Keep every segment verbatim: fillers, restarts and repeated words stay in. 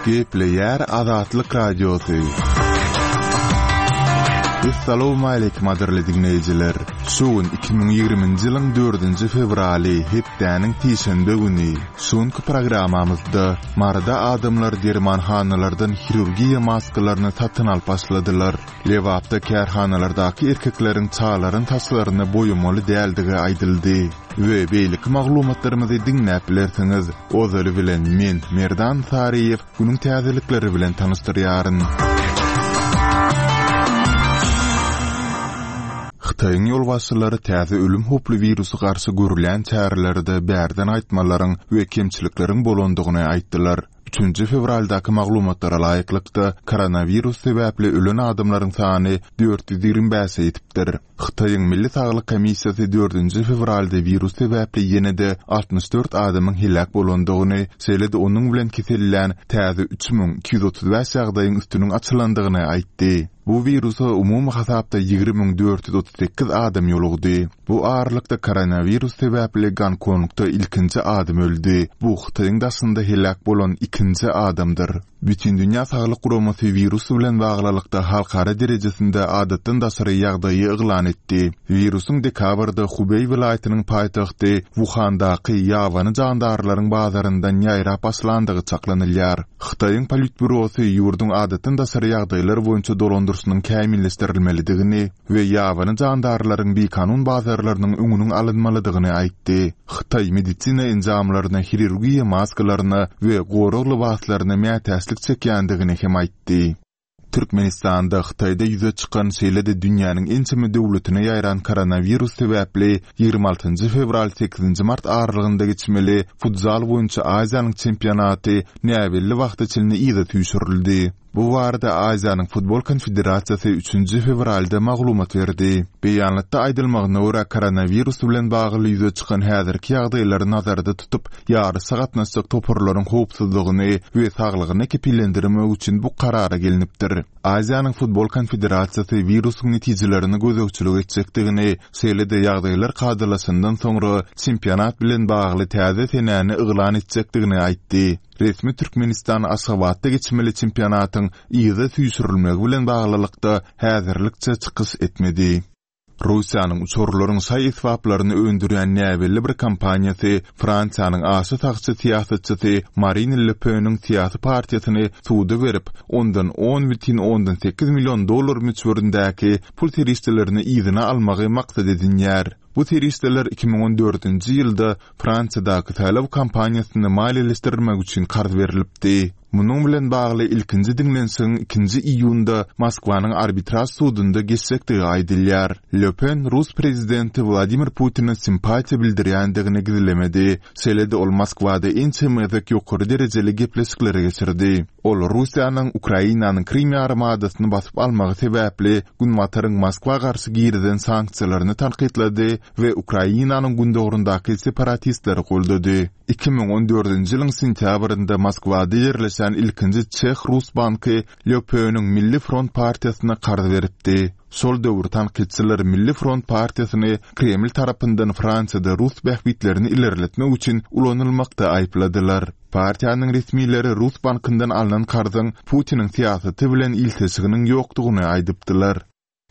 Gepleýär Azatlyk Radiosy. Essalawmaleýkim gadyrly diňleýjiler. Şu gün iki müň ýigriminji ýylyň dördünji fewraly, hepdäniň sişenbe güni. Şu günki programmamyzda Maryda adamlar dermanhanalardan hirurgiýa maskalaryny satyn alyp başladylar. Lebapda kärhanalardaky erkekleriň çagalaryň saçlaryny boýamaly däldigi aýdyldy. We beýleki maglumatlarymyzy diňläp bilersiňiz. Ozaly bilen men, Merdan Saryýew, günüň täzelikleri bilen tanyşdyrýaryn. Hytaýyň ýolbaşçylary täze ölüm howply wirusy garşy görülýän çärelerde bärden gaýtmalaryň we kemçilikleriň bolandygyny aýtdylar. Üçünji fewraldaky maglumatlara laýyklykda, koronawirus sebäpli ölen adamlaryň sany dört ýüz ýigrimi bäşe ýetipdir. Hytaýyň Milli saglyk komissiýasy dördünji fewralda wirus sebäpli ýene-de altmyş dört adamyň heläk bolandygyny, şeýle-de onuň bilen kesellän täze üç müň iki ýüz otuz bäş ýagdaýyň üstüniň açylandygyny aýtdy. Bu wirusa umumy hasapda ýigrimi müň dört ýüz otuz sekiz adam ýolugdy. Bu aralykda koronawirus sebäpli Gonkongda ilkinji adam öldi. Bu Hytaýyň daşynda heläk bolan ikinji adamdyr. Bütindünýä Saglyk Guramasy wirus bilen baglylykda halkara derejesinde adatdan daşary ýagdaýy yglan etdi. Wirusyň dekabrda Hubeý welaýatynyň paýtagty Wuhandaky ýabany jandarlaryň bazaryndan ýaýrap başlandygy çaklanylýar. Hytaýyň Politbürosy ýurduň adatdan daşary ýagdaýlar boýunça dolandyryşynyň kämilleşdirilmelidigini we ýabany jandarlaryň bikanun bazarlarynyň öňüniň alynmalydygyny aýtdy. Hytaý medisina enjamlaryna, hirurgiýa maskalaryna we gorag lybaslaryna mätäçlik çekýändigini hem aýtdy. Türkmenistanda Hytaýda ýüze çykan, şeýle-de dünýäniň ençeme döwletine ýaýran koronawirus sebäpli ýigrimi altynjy fewral sekizinji mart aralygynda geçmeli futzal boýunça Aziýanyň çempionaty näbelli wagta çenli yza süýşürildi. Bu barada Aziýanyň Futbol Konfederasiýasy üçünji fewralda maglumat berdi. Beýanatda aýdylmagyna görä, koronawirus bilen bagly ýüze çykan häzirki ýagdaýlary nazarda tutup, ýaryşa gatnaşjak toparlaryň howpsuzlygyny we saglygyny kepillendirmek üçin bu karara gelnipdir. Aziýanyň Futbol Konfederasiýasy wirusyň netijelerini gözegçilik etjekdigini, şeýle-de ýagdaýlar kadalaşandan soňra çempionat bilen bagly täze senäni yglan etjekdigini aýtdy. Resmi Türkmenistan Aşgabatda geçmeli çempionatyň yza süýşürilmegi bilen baglylykda häzirlikçe çykyş etmedi. Russiýanyň uçarlaryň şaý esbaplaryny öndürýän näbelli bir kompaniýasy Fransiýanyň aşa sagçy syýasatçysy Marine Le Peniň syýasy partiýasyny suda berip, ondan on bütin ondan sekiz million dollar möçberindäki pul serişdelerini yzyna almagy maksat edinýär. Bu serişdeler iki müň on dördünji ýylda Fransiýadaky saýlaw kampaniýasyny maliýeleşdirmek üçin karz berlipdi. Munuň bilen bagly ilkinji diňlenişigiň ikinji iýunda Moskwanyň arbitraž sudunda geçjekdigi aýdylýar. Le Pen rus prezidenti Wladimir Putine simpatiýa bildirýändigini gizlemedi. Şeýle-de ol Moskwada ençeme gezek ýokary derejeli gepleşikleri geçirdi. Ol Russiýanyň Ukrainanyň Krym ýarymadasyny basyp almagy sebäpli Günbataryň Moskwa garşy girizen sanksiýalaryny tankytlady we Ukrainanyň gündogaryndaky separatistleri goldady. Iki müň on dördünji ýylyň sentýabrynda Moskwada ýerleşen ilkinji Çeh-Rus banky Le Peniň Milli Front partiýasyna karz beripdi. Şol döwür tankytçylar Milli Front partiýasyny Kreml tarapyndan Fransiýada rus bähbitlerini ilerletmek üçin ulanylmakda aýypladylar. Partiýanyň resmileri Rus bankyndan alnan karzyň Putiniň syýasaty bilen ilteşiginiň ýokdugyny aýdypdylar.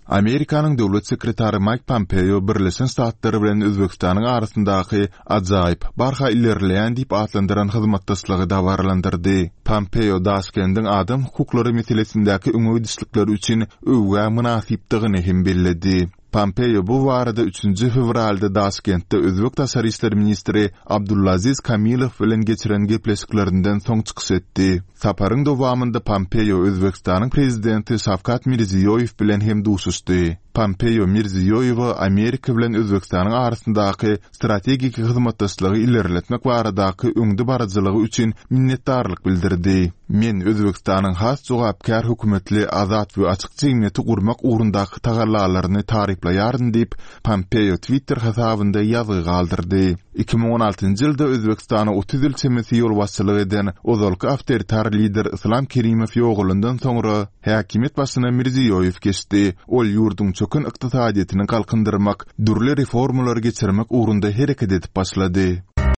Amerikanyň döwlet sekretary Maýk Pompeo Birleşen Ştatlar bilen Özbegistanyň arasyndaky ajaýyp, barha ilerleýän diýip atlandyran hyzmatdaşlygy dabaralandyrdy. Pompeo Daşkendiň adam hukuklary meselesindäki öňe gidişlikleri üçin öwgä mynasypdygyny hem belledi. Pompeo bu barada üçünji fewralda Daşkentde özbek daşary işler ministri Abdulaziz Kamilow bilen geçiren gepleşiklerinden soň çykyş etdi. Saparyň dowamynda Pompeo Özbegistanyň prezidenti Şawkat Mirziýoýew bilen hem duşuşdy. Pompeo Mirziýoýewe Amerika bilen Özbegistanyň arasyndaky strategik hyzmatdaşlygy ilerletmek baradaky öňdebaryjylygy üçin minnetdarlyk bildirdi. Men Özbegistanyň has jogapkär hökümetli, azat we açyk jemgyýeti gurmak ugrundaky tagallalaryny taryplaýaryn diýip, Pompeo Twitter hasabynda ýazgy galdyrdy. Iki müň on altynjy ýylda Özbegistana otuz ýyl çemesi ýolbaşçylyk eden ozalky awtoritar lider Yslam Kerimow ýogalandan soňra häkimiýet başyna Mirziýoýew geçdi. Ol ýurduň çöken ykdysadyýetini galkyndyrmak, dürli reformalary geçirmek ugrunda hereket edip başlady.